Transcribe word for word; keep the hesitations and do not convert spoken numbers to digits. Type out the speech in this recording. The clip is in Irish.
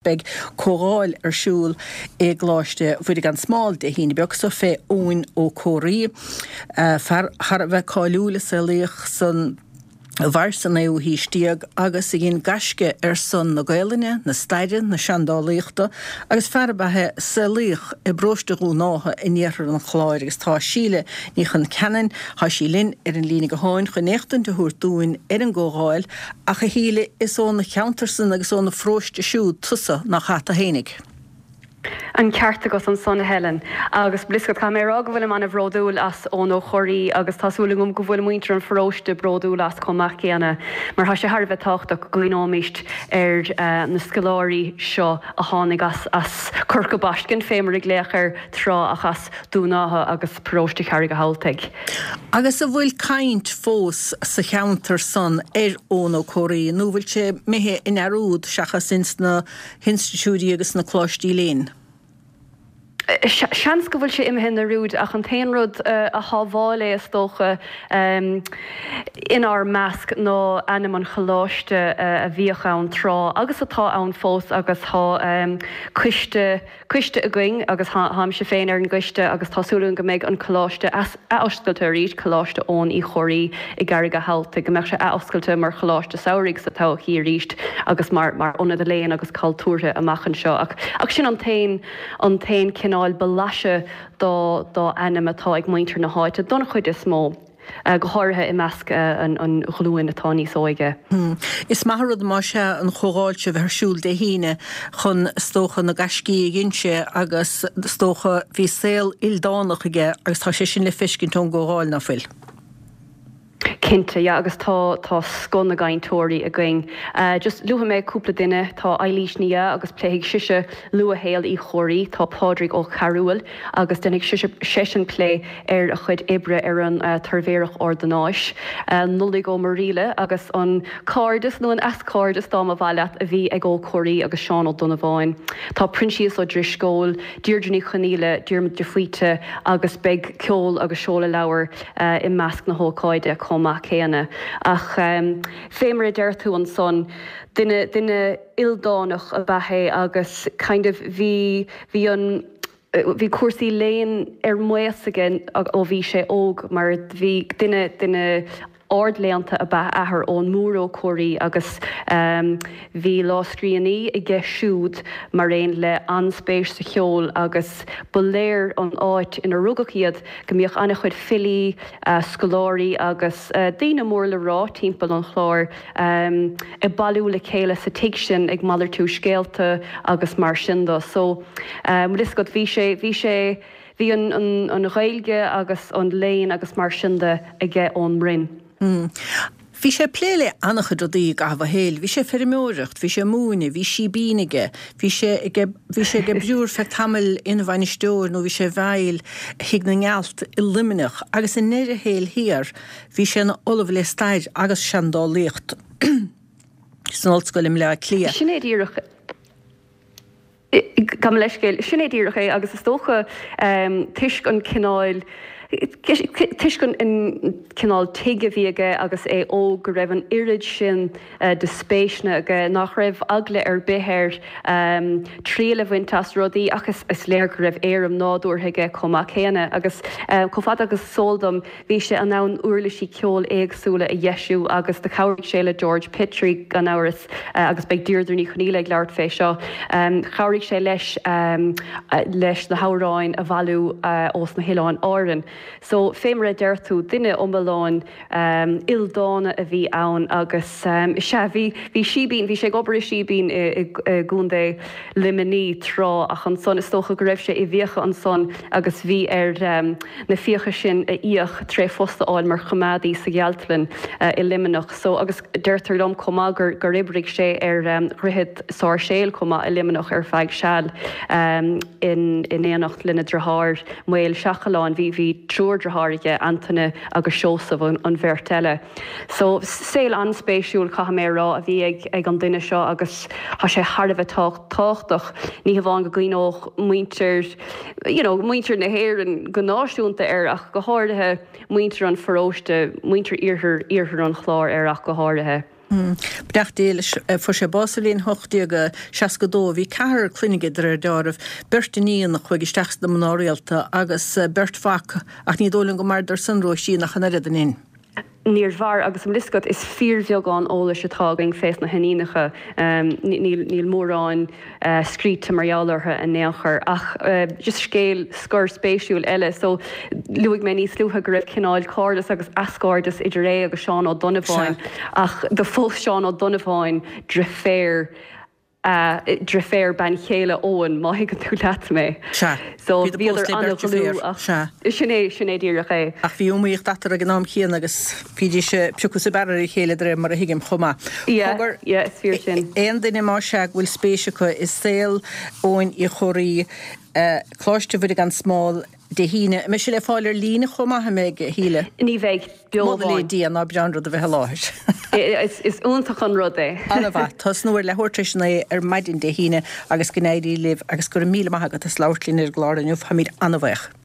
Beidh comhdháil ar siúl i gColáiste Mhuire gan Smál Dé hAoine beag seo fé Eoin Ó Comhraí, fear thar a bheith cáiliúil a saolaíodh san mhair sa naoú haois déag agus a dhein gaisce ar son na Gaelainne, na staire, na seandálaíochta agus fear ab ea é a saolaíodh i bparóiste Dhún Átha in iarthar an Chláir agus tá Síle Ní Chonceanainn, tá sí linn ar an líne gutháin chun éachtaint a thabhairt dúinn ar an gcomhdháil Ach a Shíle, is óna cheantarsan agus óna pharóiste siúd tusa, nach ea tú fhéinig? An ceart agat ansan, a Helen. Agus bhfuil fhios agat, caithfidh mé a rá go bhfuilim an-bhródúil as Eoin Ó Comhraí agus tá súil agam go bhfuil muintir an pharóiste bródúil as chomh maith céanna mar tá sé thar a bheith tábhachtach go gcuimhneoimíst ar na scoláirí seo a tháinig as as Corca Baiscinn, fé mar a glaodh air tráth, ach as Dún Átha agus paróiste Charraig an Thabhaltaigh. Agus an bhfuil caint fós sa cheantar san ar Eoin Ó Comhraí nó bhfuil sé imithe i ndearúd seachas ins na hinstitiúidí agus sna coláistí léinn? Seans go bhfuil sé imithe i ndearúd ach an t-aon rud a shábháil é is dócha inár measc ná ainm an choláiste a bhíodh ann tráth agus atá ann fós agus tá coiste coiste againn agus táimse féin ar an gcoiste agus tá súil againn go mbeidh an coláiste athoscailte arís, Coláiste Eoin Uí Chomhraí i gCarraig a' Thabhaltaigh, go mbeadh sé athoscailte mar choláiste samhraidh sa todhchaí arís agus mar mar ionad léinn agus cultúrtha amach anseo. Ach ach sin an t-aon an t-aon cineál blaiseadh dá dá ainm atá ag muintir na háite don chuid is mó. go háirithe i measc an ghlúin atá níos óige. Is maith an rud más ea an chomhdháil seo a bheith ar siúl Dé hAoine chun, is dócha, na gaiscí a dhein sé agus is dócha bhí saol ildánach aige agus tá sé sin le feiscint ón gcomhdháil, ná fuil? Cinnte, yeah, agus tá tá scoth na gcainteoirí againn. Just luafaidh mé cúpla duine, tá Eilís Ní Aodha agus pléifidh sise luathshaol Uí Chomhraí, tá Pádraig Ó Cearúil agus déanfaidh seisean plé ar a chuid oibre ar an tSuirbhéireacht Ordanáis, Nollaig Ó Muraíle agus an cairdeas, nó an eascairdeas dá mba mhaith leat, a bhí ag Ó Comhraí agus Seán Ó Donnabháin. Tá Proinsias Ó Drisceoil, Deirdre Ní Chonaola, Diarmuid de Faoite agus beidh ceol agus seoladh leabhar i measc na hócáide chomh maith céanna. Ach fé mar a deir tú ansan, duine, duine ildánach ab ea é agus kind of bhí, bhí an, bhí cúrsaí léinn ar maos aige ó bhí sé óg mar bhí duine duine ardléannta ab ea a athair, Eoghan Mór Ó Comhraí, agus bhí lámhscríbhinní aige siúd mar aon le an-spéis sa cheol agus ba léir ón áit ina rugadh iad go mbíodh an-chuid filí, scoláirí agus daoine mór le rá timpeall an Chláir ag bailiú le chéile sa tigh sin ag malartú scéalta agus mar sin de. So, bhfuil fhios agat, bhí sé, bhí sé, bhí an, an, an Ghaeilge agus an léann agus mar sin de aige ón mbroinn. Bhí sé ag plé le an-chuid rudaí i gcaitheamh a shaoil. Bhí sé ag feirmeoireacht, bhí sé ag múineadh, bhí síbín aige, bhí sé ag, bhí sé ag oibriú ar feadh tamaill ina bhainisteoir nó bhí sé i bhfeighil Thigh na nGealt i Luimneach agus i ndeireadh a shaoil thiar bhí sé ina ollamh le stair agus seandálaíocht san ollscoil i mBleá Cliath. Sin é díreach. Gabh mo leithscéal, sin é díreach é agus is dócha toisc an cineál, toisc an cineál tigh a bhí aige agus é óg go raibh an oiread sin de spéiseanna aige nach raibh eagla ar bith air triail a bhaint as rudaí ach is léir go raibh éirim nádúrtha aige chomh maith céanna agus chomh fada agus is eol dom bhí sé in ann uirlisí ceoil éagsúla a dheisiú agus do chabhraigh sé le George Petrie gan amhras. agus beidh Deirdre Ní Chonaola ag labhairt fé seo. Chabhraigh sé leis leis na hamhráin a bhailiú ós na hOileáin Árann. So, fé mar a deir tú, duine iomlán ildána a bhí ann agus sea, bhí bhí síbín, bhí sé ag obair i síbín i gContae Luimnigh tráth ach ansan is dócha go raibh sé i bhfiacha ansan agus bhí air na fiacha sin a íoc tré phost a fháil mar choimeádaí sa ghealtlann i Luimneach. So, agus deirtear liom chomh maith gur gur oibrigh sé ar Dhroichead Sáirséal chomh maith i Luimneach ar feadh seal in in éineacht lena dheartháir Maolsheachalán. Bhí bhí triúr deartháir aige, Antaine agus Seosamh an an bheirt eile. So, saol an-spéisiúil, caithfidh mé a rá, a bhí ag ag an duine seo agus tá sé thar a bheith tábhachtach, ní hamháin go gcuimhneodh muintir, you know, muintir na hÉireann go náisiúnta air ach go háirithe, muintir an pharóiste, muintir iarthar, iarthar an Chláir air ach go háirithe. Beannacht Dé leis, fuair sé bás sa bhliain ocht déag seasca dó. Bhí ceathrar clainne aige de réir deáraimh, beirt iníon a chuaigh isteach sna mná rialta agus beirt mhac, ach ní dóigh liom gur mhaireadar san Róisín ach an oiread, an in? Níor mhair, agus an bhfuil fhios agat, is fíorbheagán eolais atá againn fés na hiníonacha. Níl níl mórán scríte mar gheall orthu in aon chor. Ach just scéal scor spéisiúil eile. So, luaigh mé níos luaithe go raibh cineál cairdeas agus eascairdeas idir é agus Seán Ó Donnabháin, ach do phós Seán Ó Donnabháin driféar a driféar bean chéile Eoin, má thuigeann tú leat mé. Sea. So Bhíodar bhíodar pósta le beirt an-dhlúth driféar. ach Sea. sin é, sin é díreach é. Ach bhí iomaíocht eatarthu ag an am chéanna agus bhídís ag piocadh is ag bearradh ar a chéile de réir mar a thuigim chomh maith. Yeah, Cogar, yeah, is fíor sin. aon duine más ea go bhfuil spéis acu i saol Eoin Uí Chomhraí, Coláiste Mhuire gan Smál, Dé hAoine. An mbeidh sé le fáil ar líne chomh maith, an mbeidh, a Shíle? Ní bheidh, beo Moladh le amháin. Dia, ná breá an rud a bheith i láthair. Is iontach an rud é. An-mhaith. Tosnú ar leathuair tar éis a naoi ar maidin Dé hAoine agus go n-éirí libh agus go raibh míle maith agat as labhairt linn ar an gclár inniu. Táimid an-bhuíoch.